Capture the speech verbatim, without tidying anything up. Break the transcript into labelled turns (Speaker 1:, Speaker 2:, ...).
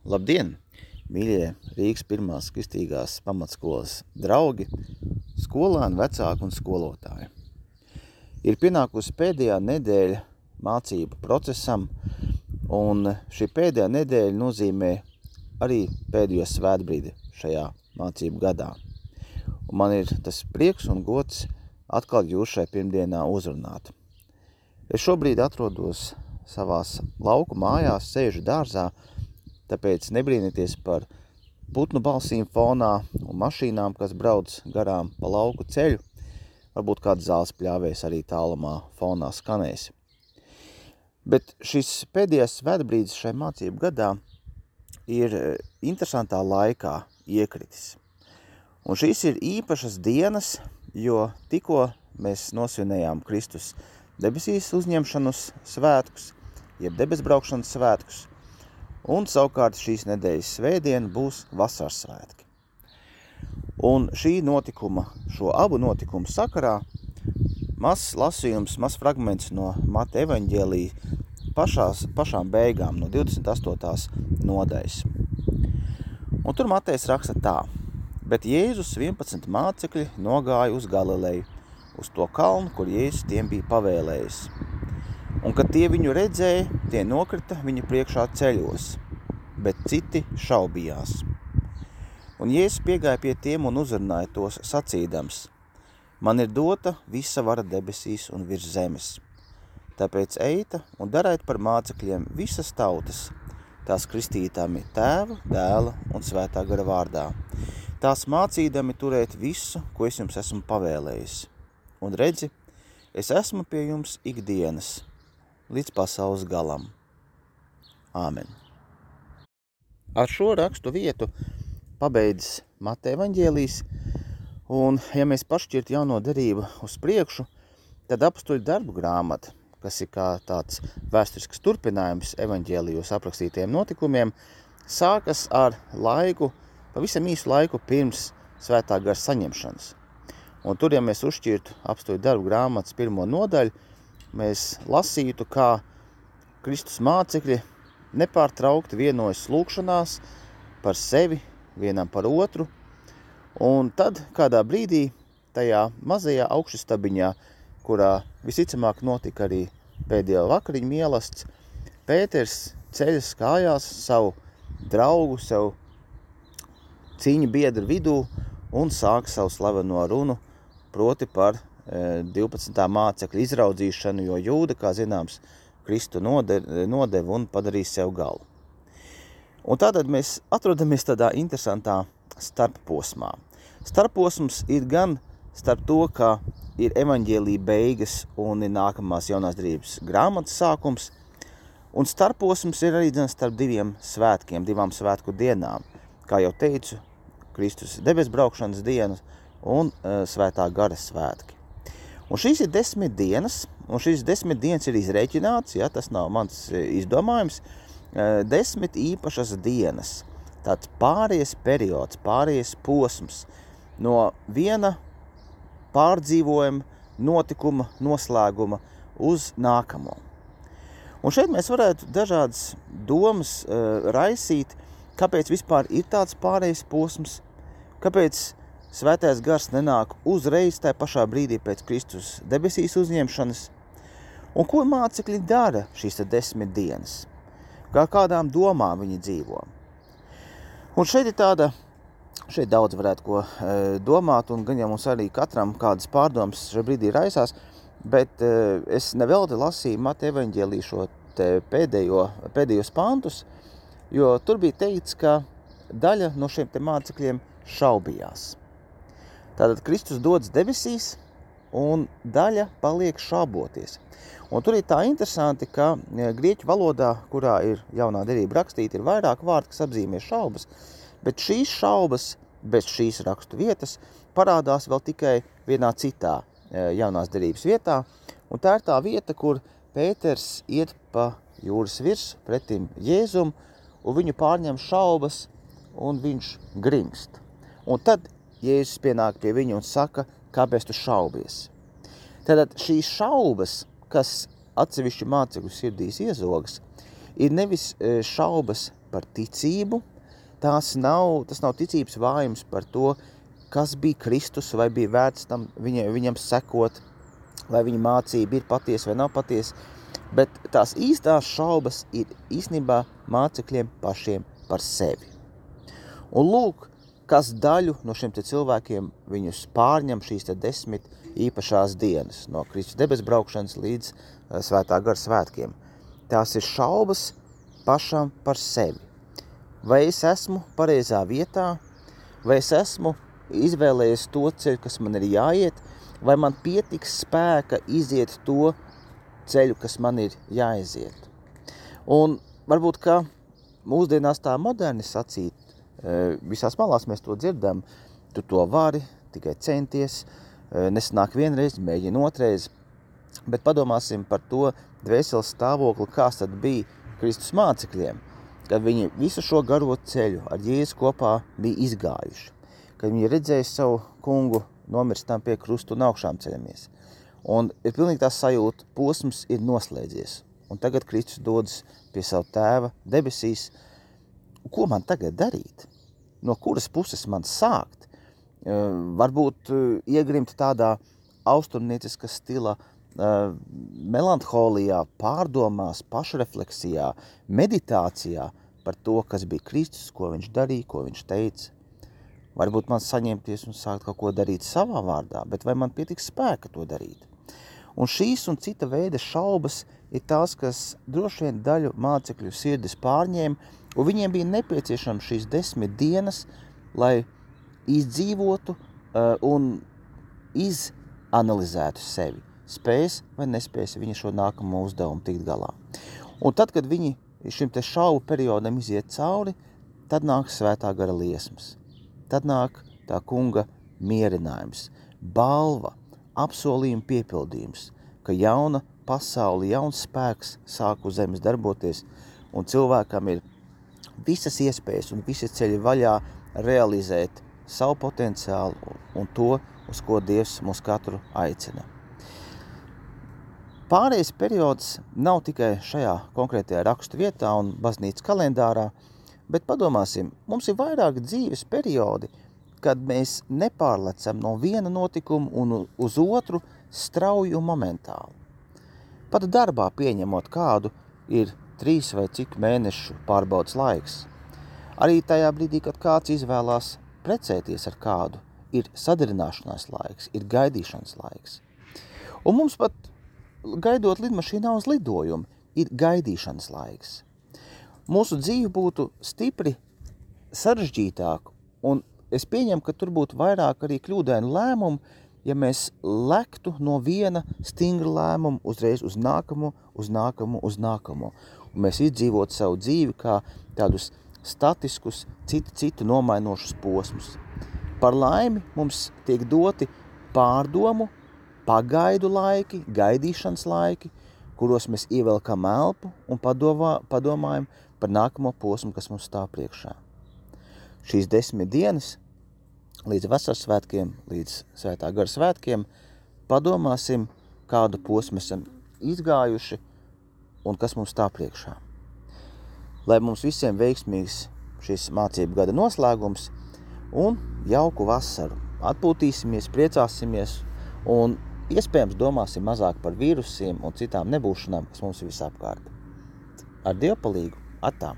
Speaker 1: Labdien, mīļie Rīgas pirmās kristīgās pamatskolas draugi, skolāni, vecāki un skolotāji. Ir pienākusi pēdējā nedēļa mācību procesam, un šī pēdējā nedēļa nozīmē arī pēdējo svētbrīdi šajā mācību gadā. Un man ir tas prieks un gods atkal jūs šai pirmdienā uzrunāt. Es šobrīd atrodos savās lauku mājās, sēžu dārzā, tāpēc nebrīnieties par putnu balsīm fonā un mašīnām, kas brauc garām pa lauku ceļu. Varbūt kāds zāles pļāvējs arī tālumā fonā skanēs. Bet šis pēdējais svētbrīdis šai mācību gadā ir interesantā laikā iekritis. Un šīs ir īpašas dienas, jo tikko mēs nosvinējām Kristus debesīs uzņemšanas svētkus, jeb debesbraukšanas svētkus, un savukārt šīs nedēļas svētdiena būs vasaras svētki. Un šī notikuma, šo abu notikumu sakarā, mazs lasījums, mazs fragments no Mata evaņģēlija pašās, pašām beigām, no divdesmit astotās nodaļas. Un tur Matejs raksta tā: bet Jēzus vienpadsmit mācekļi nogāja uz Galileju, uz to kalnu, kur Jēzus tiem bija pavēlējis. Un, kad tie viņu redzēja, tie nokrita viņa priekšā ceļos, bet citi šaubījās. Un Jēzus piegāja pie tiem un uzrunāja tos sacīdams: man ir dota visa vara debesīs un virs zemes. Tāpēc eita un dariet par mācekļiem visas tautas, tās kristītami Tēva, Dēla un Svētā gara vārdā, tās mācīdami turēt visu, ko es jums esmu pavēlējis. Un redzi, es esmu pie jums ikdienas, līdz pasaules galam. Āmen. Ar šo rakstu vietu pabeidz Mata evaņģēlijs, un ja mēs pašķirt jauno derību uz priekšu, tad apustuļu darbu grāmata, kas ir kā tāds vēsturisks turpinājums evaņģēlijos aprakstītajiem notikumiem, sākas ar laiku, pavisam īsu laiku pirms Svētā gara saņemšanas. Un tur, ja mēs uzšķirtu apustuļu darbu grāmatas pirmo nodaļu, mēs lasītu, kā Kristus mācekļi nepārtraukti vienojas lūkšanās par sevi, vienam par otru, un tad kādā brīdī tajā mazajā augšustabiņā, kurā visticamāk notika arī pēdējo vakariņu mielasts, Pēters ceļas kājās savu draugu, savu cīņu biedru vidū un sāk savu slaveno runu, proti par e, divpadsmitā mācekļu izraudzīšanu, jo Jūda, kā zināms, Kristu nodeva un padarīja sev galu. Un tātad mēs atrodamies tādā interesantā starpposmā. Starpposms ir gan starp to, ka ir evaņģēlija beigas un ir nākamās jaunās derības grāmatas sākums, un starpposms ir arī starp diviem svētkiem, divām svētku dienām, kā jau teicu, Kristus debesbraukšanas dienas un uh, Svētā gara svētki. Un šīs ir desmit dienas, un šīs desmit dienas ir izrēķināts, ja, tas nav mans izdomājums, uh, desmit īpašas dienas, tāds pāries periods, pāries posms no viena pārdzīvojuma, notikuma, noslēguma uz nākamo. Un šeit mēs varētu dažādas domas uh, raisīt, kāpēc vispār ir tāds pārējais posms, kāpēc Svētais gars nenāk uzreiz tajā pašā brīdī pēc Kristus debesīs uzņemšanas, un ko mācekļi dara šīs desmit dienas, kā kādām domām viņi dzīvo. Un šeit ir tāda, šeit daudz varētu ko e, domāt, un gan jau mums arī katram kādas pārdomas šajā brīdī raisās, bet e, es nevelti lasīju Mata evaņģēliju šo te pēdējo, pēdējos pantus, jo tur bija teikts, ka daļa no šiem te mācekļiem šaubījās. Tātad Kristus dodas debesīs, un daļa paliek šauboties. Un tur ir tā interesanti, ka grieķu valodā, kurā ir jaunā derība rakstīta, ir vairāk vārdi, kas apzīmē šaubas, bet šīs šaubas bez šīs rakstu vietas parādās vēl tikai vienā citā jaunās derības vietā, un tā ir tā vieta, kur Pēters iet pa jūras virs pretim Jēzum, un viņu pārņem šaubas, un viņš grimst. Un tad Jēzus pienāk pie viņu un saka, kāpēc tu šaubies. Tātad šīs šaubas, kas atsevišķu mācekļu sirdīs iezogas, ir nevis šaubas par ticību, tās nav, tas nav ticības vājums par to, kas bija Kristus, vai bija vērts tam viņa, viņam sekot, vai viņa mācība ir patiesa vai nav patiesa, bet tās īstās šaubas ir īstenībā mācekļiem pašiem par sevi. Un lūk, kas daļu no šiem te cilvēkiem viņus pārņem šīs te desmit īpašās dienas, no Kristus debes braukšanas līdz uh, svētā gara svētkiem. Tās ir šaubas pašam par sevi. Vai es esmu pareizā vietā, vai es esmu izvēlējies to ceļu, kas man ir jāiet, vai man pietiks spēka iziet to ceļu, kas man ir jāiziet. Un varbūt, ka mūsdienās tā moderni sacīt, visās malās mēs to dzirdam, tu to vari, tikai centies, nesanāk vienreiz, mēģina otreiz, bet padomāsim par to dvēseles stāvokli, kāds tad bija Kristus mācekļiem, kad viņi visu šo garo ceļu ar Jēzu kopā bija izgājuši, kad viņi redzēja savu kungu nomirstam pie krustu un augšām ceļamies. Un ir pilnīgi tā sajūta, posms ir noslēdzies, un tagad Kristus dodas pie savu tēva debesīs. Ko man tagad darīt? No kuras puses man sākt? Varbūt iegrimt tādā austrumnieciska stila melanholijā, pārdomās, pašrefleksijā, meditācijā par to, kas bija Kristus, ko viņš darīja, ko viņš teica. Varbūt man saņemties un sākt kaut ko darīt savā vārdā, bet vai man pietiks spēka to darīt? Un šīs un cita veida šaubas ir tās, kas droši vien daļu mācekļu sirdis pārņēma, un viņiem bija nepieciešams šīs desmit dienas, lai izdzīvotu uh, un izanalizētu sevi. Spēs vai nespēs viņi šo nākamo uzdevumu tikt galā. Un tad, kad viņi šim te šaubu periodam iziet cauri, tad nāk svētā gara liesmas. Tad nāk tā kunga mierinājums, balva, apsolījuma piepildījums, ka jauna pasauli, jauns spēks sāk uz zemes darboties, un cilvēkam ir visas iespējas un visi ceļi vaļā realizēt savu potenciālu un to, uz ko Dievs mūs katru aicina. Pārējais periods nav tikai šajā konkrētajā rakstu vietā un baznīcas kalendārā, bet padomāsim, mums ir vairāk dzīves periodi, kad mēs nepārlecam no viena notikuma un uz otru strauji un momentāli. Pat darbā pieņemot kādu ir trīs vai cik mēnešu pārbaudas laiks. Arī tajā brīdī, kad kāds izvēlās precēties ar kādu, ir sadarināšanās laiks, ir gaidīšanas laiks. Un mums pat, gaidot lidmašīnā uz lidojumu, ir gaidīšanas laiks. Mūsu dzīve būtu stipri sarežģītāka, un es pieņemu, ka tur būtu vairāk arī kļūdainu lēmumu, ja mēs lektu no viena stingra lēmuma uzreiz uz nākamo, uz nākamo, uz nākamo. Un mēs izdzīvotu savu dzīvi kā tādus statiskus, citu, citu nomainošus posmus. Par laimi mums tiek doti pārdomu, pagaidu laiki, gaidīšanas laiki, kuros mēs ievelkam elpu un padomā, padomājam par nākamo posmu, kas mums stāv priekšā. Šīs desmit dienas līdz vasaras svētkiem, līdz svētā gara svētkiem, padomāsim, kādu posmu esam izgājuši un kas mums stāv priekšā. Lai mums visiem veiksmīgs šis mācību gada noslēgums un jauku vasaru. Atpūtīsimies, priecāsimies un iespējams domāsim mazāk par vīrusiem un citām nebūšanām, kas mums ir visapkārt. Ar Dievu palīgu, atā!